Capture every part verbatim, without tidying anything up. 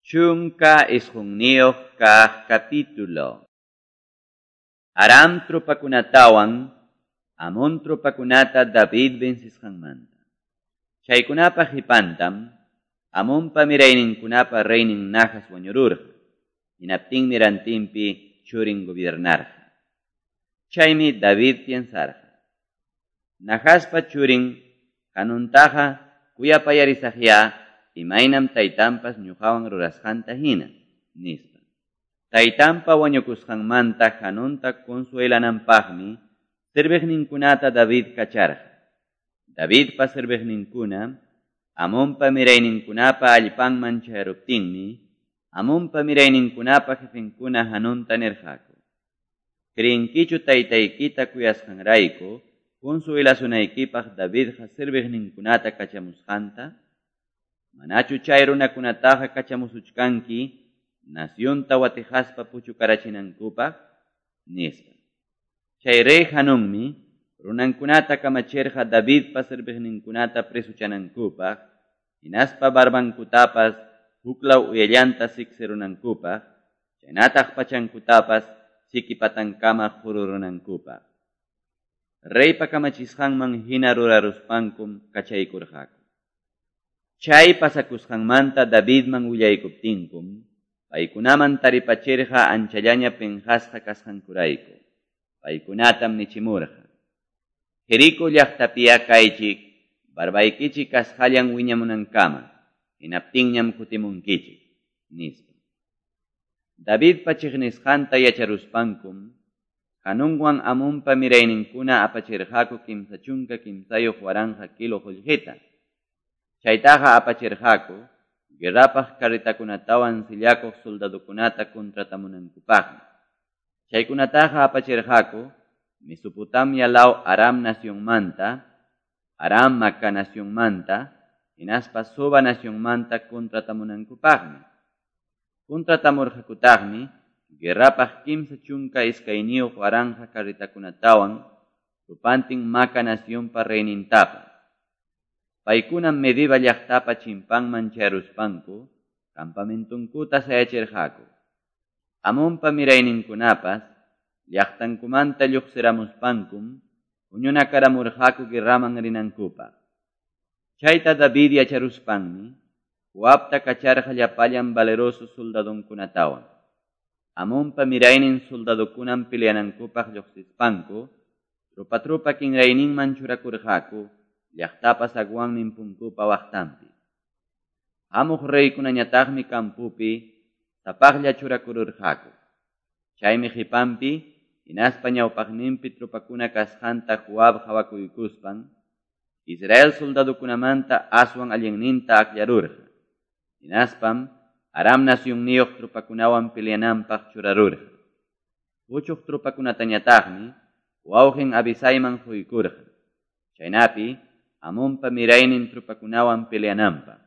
Chunka isqunniyuq kaq capítulo. Aram tropakunatawan Amón tropakunata David vencisqanmanta. Chaykunapa qipantam Amonpa mirayninkunapa reynin Nahas wañururqa. Hinaptinmi rantinpi churin gobiernarqa. Chaymi David piensarqa: Nahaspa churin Hanuntaqa kuyapayarisaqyá imaynam taytanpas ñuqawan rurasqanta hina, nispa. Taytanpa wañukusqanmanta Hanunta consuelananpaqmi serviqninkunata David kacharqa. Davidpa serviqninkuna Amonpa mirayninkunapa allpanman chayaruptinmi Amonpa mirayninkunapa jefenkuna Hanunta nirqaku: Creenkichu taytaykita kuyasqanrayku consuelasunaykipaq Davidqa serviqninkunata kachamusqanta? Manachu chay runakunataqa kachamusuchkanki nacionta watijaspa puchukarachinankupaq? Nispa. Chay rey Hanunmi runankunata kamachirqa Davidpa serviqninkunata presuchanankupaq, hinaspa barbankutapas huklaw uyallanta siksirunankupaq, chaynataq pachankutapas sikipatankama jururunankupaq. Reypa kamachisqanman hina ruraruspankum kachaykurqaku. Chay pasakusqanmanta Davidman willaykuptinkum, paykunaman taripachirqa anchallaña penqasqa kasqankurayku. Paykunatam nichimurqa: Jericó llaqtapiya kaychik, barbaykichik kasqallan wiñamunankama, hinaptinñam kutimunkichik, nispa. Davidpa chiqnisqanta yacharuspankum, Hanunwan Amonpa mirayninkuna apachirqaku kimsa chunka kimsayuq waranqa kilo qullqita. Chaytaqa apachirqaku guerrapaq carretakunatawan sillakuq soldadokunata contratamunankupaqmi. Chaykunataqa apachirqaku Mesopotamia law Aram nacionmanta, Aram Maca nacionmanta, hinaspa Soba nacionmanta contratamunankupaqmi. Contratamurqakutaqmi guerrapaq kimsa chunka iskayniyuq waranqa carretakunatawan tupantin Maca nacionpa reynintapas. Paykunam Medeba llaqtapa chimpanman chayaruspanku campamentunkuta sayachirqaku. Amonpa mirayninkunapas llaqtankumanta lluqsiramuspankum huñunakaramurqaku guerraman rinankupaq. Chayta David yacharuspanmi Joabta kacharqa llapallan valeroso soldadonkunatawan. Amonpa miraynin soldadokunam peleanankupaq lluqsispanku tropa-tropa kinrayninman churakurqaku llaqtapa zaguannin punkupa waqtanpi. Hamuq reykunañataqmi campupi sapaqlla churakururqaku. Chaymi qipanpi hinaspa ñawpaqninpi tropakuna kasqanta Joab qhawakuykuspan Israel soldadokunamanta aswan allinninta akllarurqa. Hinaspam Aram nacionniyuq tropakunawan peleananpaq churarurqa. Puchuq tropakunatañataqmi wawqin Abisayman quykurqa. Chaynapi Amonpa miraynin tropakunawan peleananpaq.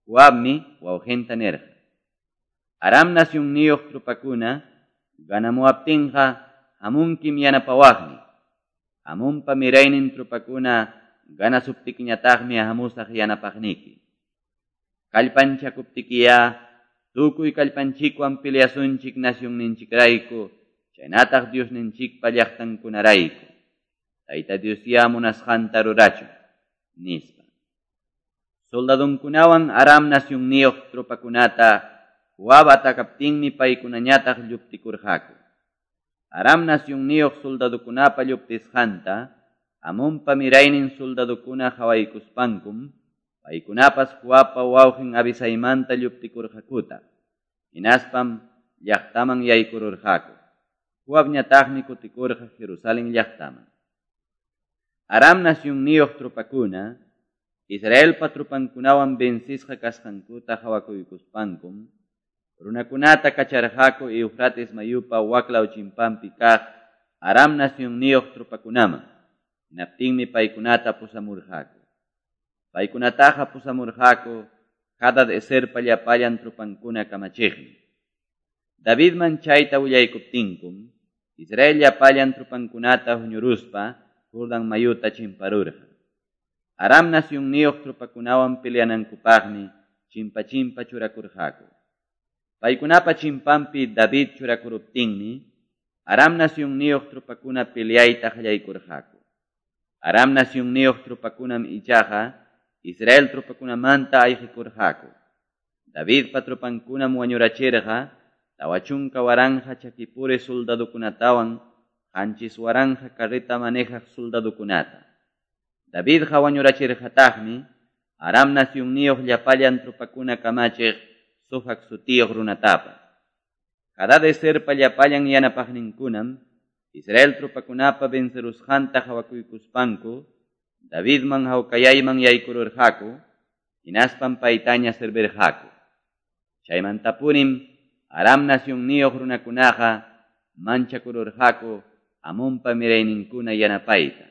Joabmi wawqinta nirqa: Aram nacionniyuq tropakuna ganamuwaptinqa hamunkim yanapawaqmi. Amonpa miraynin tropakuna ganasuptikiñataqmi hamusaq yanapaqniki. Kallpanchakuptikiya tukuy kallpanchikwan peleasunchik nacionninchikrayku, chaynataq Diosninchikpa llaqtankunarayku. Tayta Diosya munasqanta rurachun, nispa. Soldadonkunawan Aram nacionniyuq tropakunata Joab atakaptinmi paykunañataq lluptikurqaku. Aram nacionniyuq soldadokunapa lluptisqanta Amonpa miraynin soldadokuna qhawaykuspankum paykunapas Joabpa wawqin Abisaymanta lluptikurqakuta. Hinaspam llaqtaman yaykururqaku. Joabñataqmi kutikurqa Jerusalén llaqtaman. Aram nacionniyuq tropakuna Israelpa tropankunawan vencisqa kasqankuta qhawakuykuspankum runakunata kacharqaku Eufrates mayupa waklaw chimpanpi kaq Aram nacionniyuq tropakunaman. Hinaptinmi paykunata pusamurqaku. Paykunataqa pusamurqaku Hadad Eserpa llapallan tropankuna kamachiqmi. Davidman chayta willaykuptinkum Israel llapallan tropankunata huñuruspa Jordan mayuta chimparurqa. Aram nacionniyuq tropakunawan peleanankupaqmi chimpa chimpa churakurqaku. Paykunapa chimpanpi David churakuruptinmi Aram nacionniyuq tropakuna peleayta qallaykurqaku. Aram nacionniyuq tropakunam ichaqa Israel tropakunamanta ayqikurqaku. Davidpa tropankunam wañurachirqa tawa chunka waranqa chakipuri soldadokunatawan qanchis waranqa carreta manejaq soldadokunata. Davidqa wañurachirqataqmi Aram nacionniyuq llapallan tropakuna kamachiq Sofac sutiyuq runatapas. Hadadeserpa llapallan yanapaqninkunam Israel tropakunapa vencerusqanta qawakuykuspanku Davidman hawkayayman yaykururqaku, hinaspam paytaña servirqaku. Chaymantapunim Aram nacionniyuq runakunaqa manchakururqaku Amonpa mirayninkuna yanapayta.